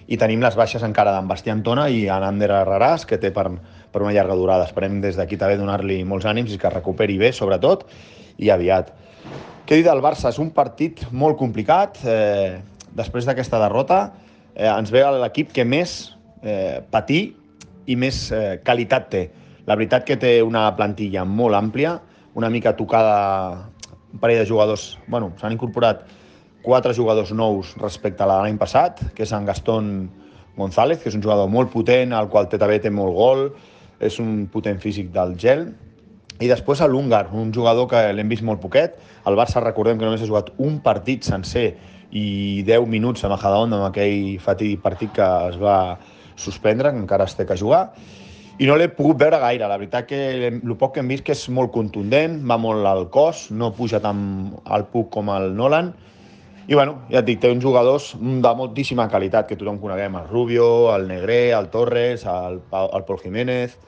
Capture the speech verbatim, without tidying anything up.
i tenim les baixes encara d'en Bastí Antona i en Ander Herreràs, que té per, per una llarga durada. Esperem des d'aquí també donar-li molts ànims i que recuperi bé, sobretot, i aviat. Què dir del Barça? És un partit molt complicat. Eh, després d'aquesta derrota eh, ens ve l'equip que més eh, patir i més eh, qualitat té. La veritat que té una plantilla molt àmplia, una mica tocada, un parell de jugadors, bueno, s'han incorporat quatre jugadors nous respecte a l'any passat, que és en Gastón González, que és un jugador molt potent, al qual també té molt gol, és un potent físic del gel, i després a l'húngar, un jugador que l'hem vist molt poquet. El Barça, recordem que només ha jugat un partit sencer i deu minuts a Majadahonda, amb aquell fatídic partit que es va suspendre, que encara es té que jugar, i no l'he pogut veure gaire. La veritat que el poc que hem vist que és molt contundent, va molt al cos, no puja tant al puc com el Nolan, i bueno, ja et dic, té uns jugadors de moltíssima qualitat que tothom coneguem, el Rubio, el Negre, el Torres, el, el Pol Jiménez.